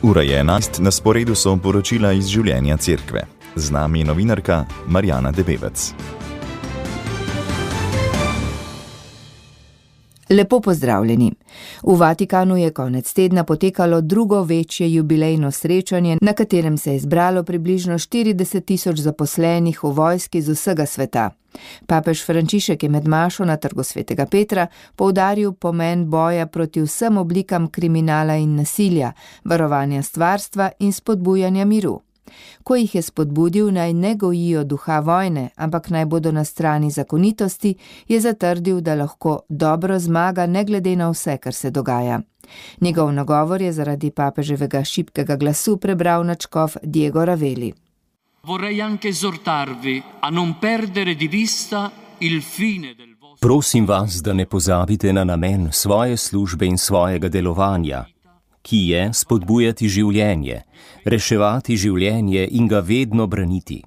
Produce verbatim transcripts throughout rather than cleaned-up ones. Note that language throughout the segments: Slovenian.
Ura je enajst, na sporedu so poročila iz življenja cerkve. Z nami je novinarka Marjana Debevec. Lepo pozdravljeni. V Vatikanu je konec tedna potekalo drugo večje jubilejno srečanje, na katerem se je zbralo približno štirideset tisoč zaposlenih v vojski z vsega sveta. Papež Frančišek je med mašo na Trgu svetega Petra poudaril pomen boja proti vsem oblikam kriminala in nasilja, varovanja stvarstva in spodbujanja miru. Ko jih je spodbudil, naj ne gojijo duha vojne, ampak naj bodo na strani zakonitosti, je zatrdil, da lahko dobro zmaga ne glede na vse, kar se dogaja. Njegov nagovor je zaradi papeževega šibkega glasu prebral nadškof Diego Raveli. Vorrei anche esortarvi a non perdere di vista il fine del vostro... Prosim vas, da ne pozabite na namen svoje službe in svojega delovanja, ki je spodbujati življenje, reševati življenje in ga vedno braniti.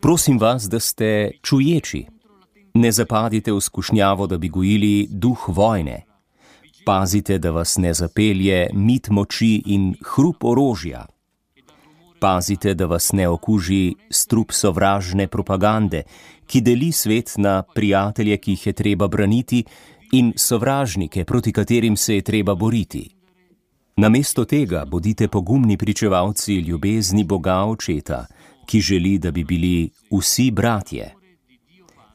Prosim vas, da ste čuječi. Ne zapadite v skušnjavo, da bi gojili duh vojne. Pazite, da vas ne zapelje mit moči in hrup orožja. Pazite, da vas ne okuži strup sovražne propagande, ki deli svet na prijatelje, ki jih je treba braniti, in sovražnike, proti katerim se je treba boriti. Namesto tega bodite pogumni pričevalci ljubezni Boga Očeta, ki želi, da bi bili vsi bratje.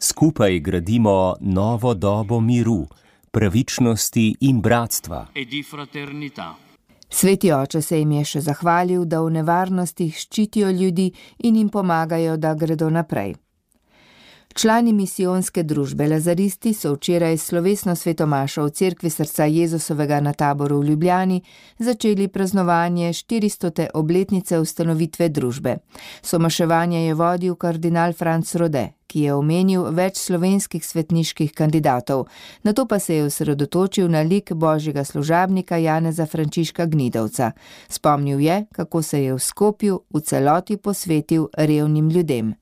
Skupaj gradimo novo dobo miru, pravičnosti in bratstva. Sveti oče se jim je še zahvalil, da v nevarnostih ščitijo ljudi in jim pomagajo, da gredo naprej. Člani misijonske družbe Lazaristi so včeraj slovesno svetomašo v cerkvi srca Jezusovega na Taboru v Ljubljani začeli praznovanje štiristote obletnice ustanovitve družbe. Somaševanje je vodil kardinal Franc Rode, ki je omenil več slovenskih svetniških kandidatov, nato pa se je osredotočil na lik božjega služabnika Janeza Frančiška Gnidovca. Spomnil je, kako se je v Skopju v celoti posvetil revnim ljudem.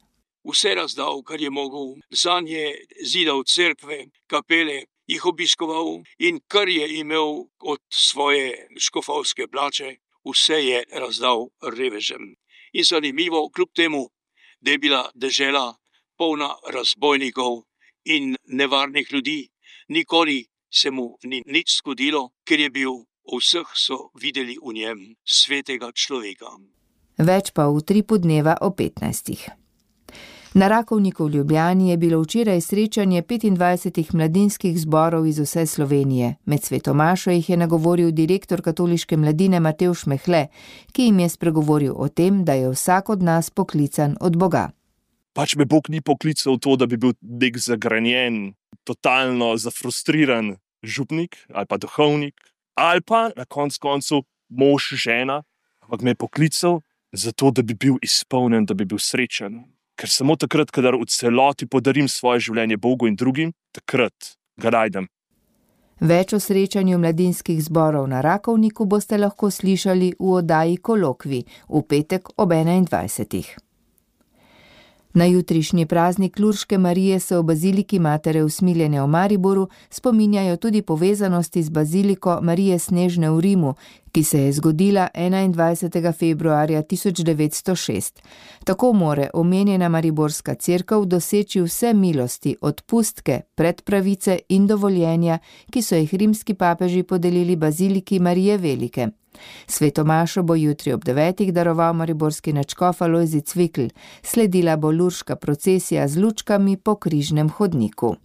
Vse razdal, kar je mogel, zanje zidal cerkve, kapele, jih obiskoval in kar je imel od svoje škofovske plače, vse je razdal revežem. In zanimivo, kljub temu, da je bila dežela polna razbojnikov in nevarnih ljudi, nikoli se mu ni nič zgodilo, ker je bil, vseh so videli v njem svetega človeka. Več pa v tripu dneva o petnajstih. Na Rakovniku v Ljubljani je bilo včeraj srečanje petindvajsetih mladinskih zborov iz vse Slovenije. Med svetomašo jih je nagovoril direktor katoliške mladine Matevž Mehle, ki jim je spregovoril o tem, da je vsak od nas poklican od Boga. Pač me Bog ni poklical to, da bi bil nek zagranjen, totalno zafrustriran župnik ali pa duhovnik, ali pa na konc koncu mož, žena, ampak me je poklical zato, da bi bil izpolnjen, da bi bil srečen. Ker samo takrat, kadar v celoti podarim svoje življenje Bogu in drugim, takrat ga najdem. Več o srečanju mladinskih zborov na Rakovniku boste lahko slišali v oddaji Kolokvi v petek ob enaindvajsetih. Na jutrišnji praznik Lurške Marije se v baziliki Matere Usmiljene v Mariboru spominjajo tudi povezanosti z baziliko Marije Snežne v Rimu, ki se je zgodila enaindvajsetega februarja tisoč devetsto šest. Tako more omenjena mariborska cerkev doseči vse milosti, odpustke, predpravice in dovoljenja, ki so jih rimski papeži podelili baziliki Marije Velike. Svetomašo bo jutri ob devetih daroval mariborski nadškof Alojzij Cvikl, sledila bo lurška procesija z lučkami po križnem hodniku.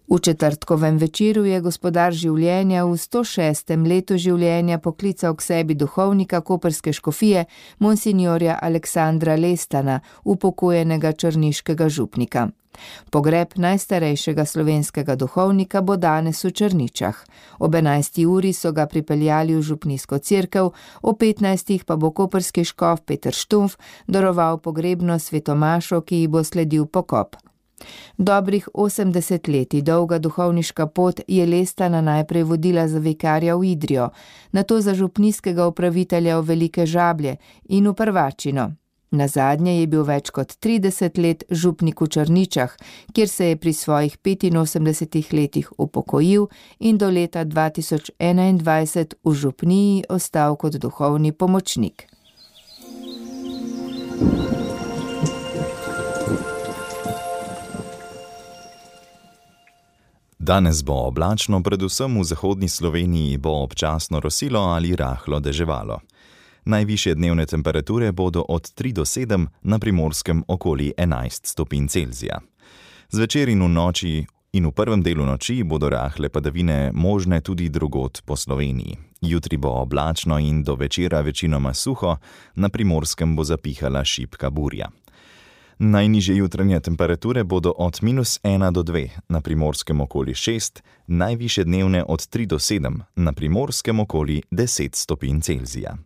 V četrtkovem večeru je gospodar življenja v sto šestem letu življenja poklical k sebi duhovnika koprske škofije monsinjorja Aleksandra Lestana, upokojenega črniškega župnika. Pogreb najstarejšega slovenskega duhovnika bo danes v Črničah. Ob enajsti uri so ga pripeljali v župnijsko cerkev, o petnajstih pa bo koprski škof Peter Štumf daroval pogrebno svetomašo, ki ji bo sledil pokop. Dobrih osemdeset letij dolga duhovniška pot je Lestana najprej vodila za vikarja v Idrijo, nato za župnijskega upravitelja v Velike Žablje in v Prvačino. Nazadnje je bil več kot trideset let župnik v Črničah, kjer se je pri svojih petinosemdesetih letih upokojil in do leta dva tisoč enaindvajset v župniji ostal kot duhovni pomočnik. Danes bo oblačno, predvsem v zahodni Sloveniji bo občasno rosilo ali rahlo deževalo. Najvišje dnevne temperature bodo od tri do sedem, na Primorskem okoli enajst stopinj Celzija. Zvečer in v noči in v prvem delu noči bodo rahle padavine možne tudi drugod po Sloveniji. Jutri bo oblačno in do večera večinoma suho, na Primorskem bo zapihala šibka burja. Najnižje jutranje temperature bodo od minus ena do dve, na Primorskem okoli šest, najvišje dnevne od tri do sedem, na Primorskem okoli deset stopinj Celzija.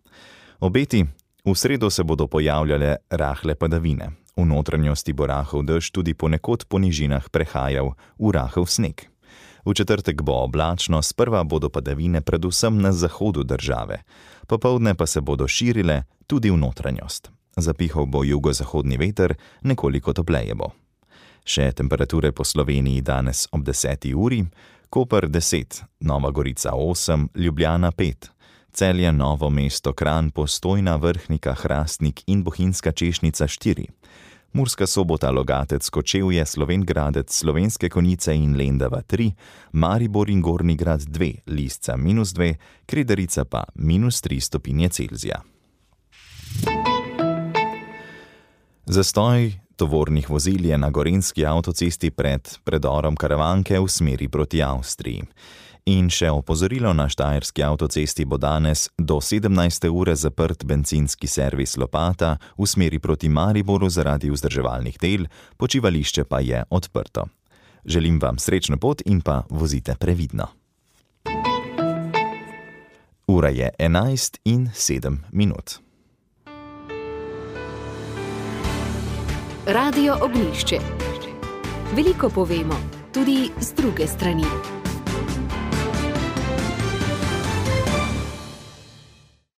Obeti: v sredo se bodo pojavljale rahle padavine. V notranjosti bo rahel dež tudi ponekod po nižinah prehajal v rahel sneg. V četrtek bo oblačno, sprva bodo padavine predvsem na zahodu države, popoldne pa se bodo širile tudi v notranjost. Zapihal bo jugozahodni veter, nekoliko topleje bo. Še temperature po Sloveniji danes ob deseti uri: Koper deset, Nova Gorica osem, Ljubljana pet, Celje, Novo mesto, Kranj, Postojna, Vrhnika, Hrastnik in Bohinjska Češnica štiri, Murska Sobota, Logatec, Kočevje, Slovenj Gradec, Slovenske Konjice in Lendava tri, Maribor in Gornji Grad dve, Lisca minus dve, Kredarica pa minus tri stopinje Celzija. Zastoj tovornih vozil je na gorenjski avtocesti pred predorom Karavanke v smeri proti Avstriji. In še opozorilo: na štajerski avtocesti bo danes do sedemnajste ure zaprt bencinski servis Lopata v smeri proti Mariboru zaradi vzdrževalnih del, počivališče pa je odprto. Želim vam srečno pot in pa vozite previdno. Ura je enajst in sedem minut. Radio Ognjišče. Veliko povemo, tudi z druge strani.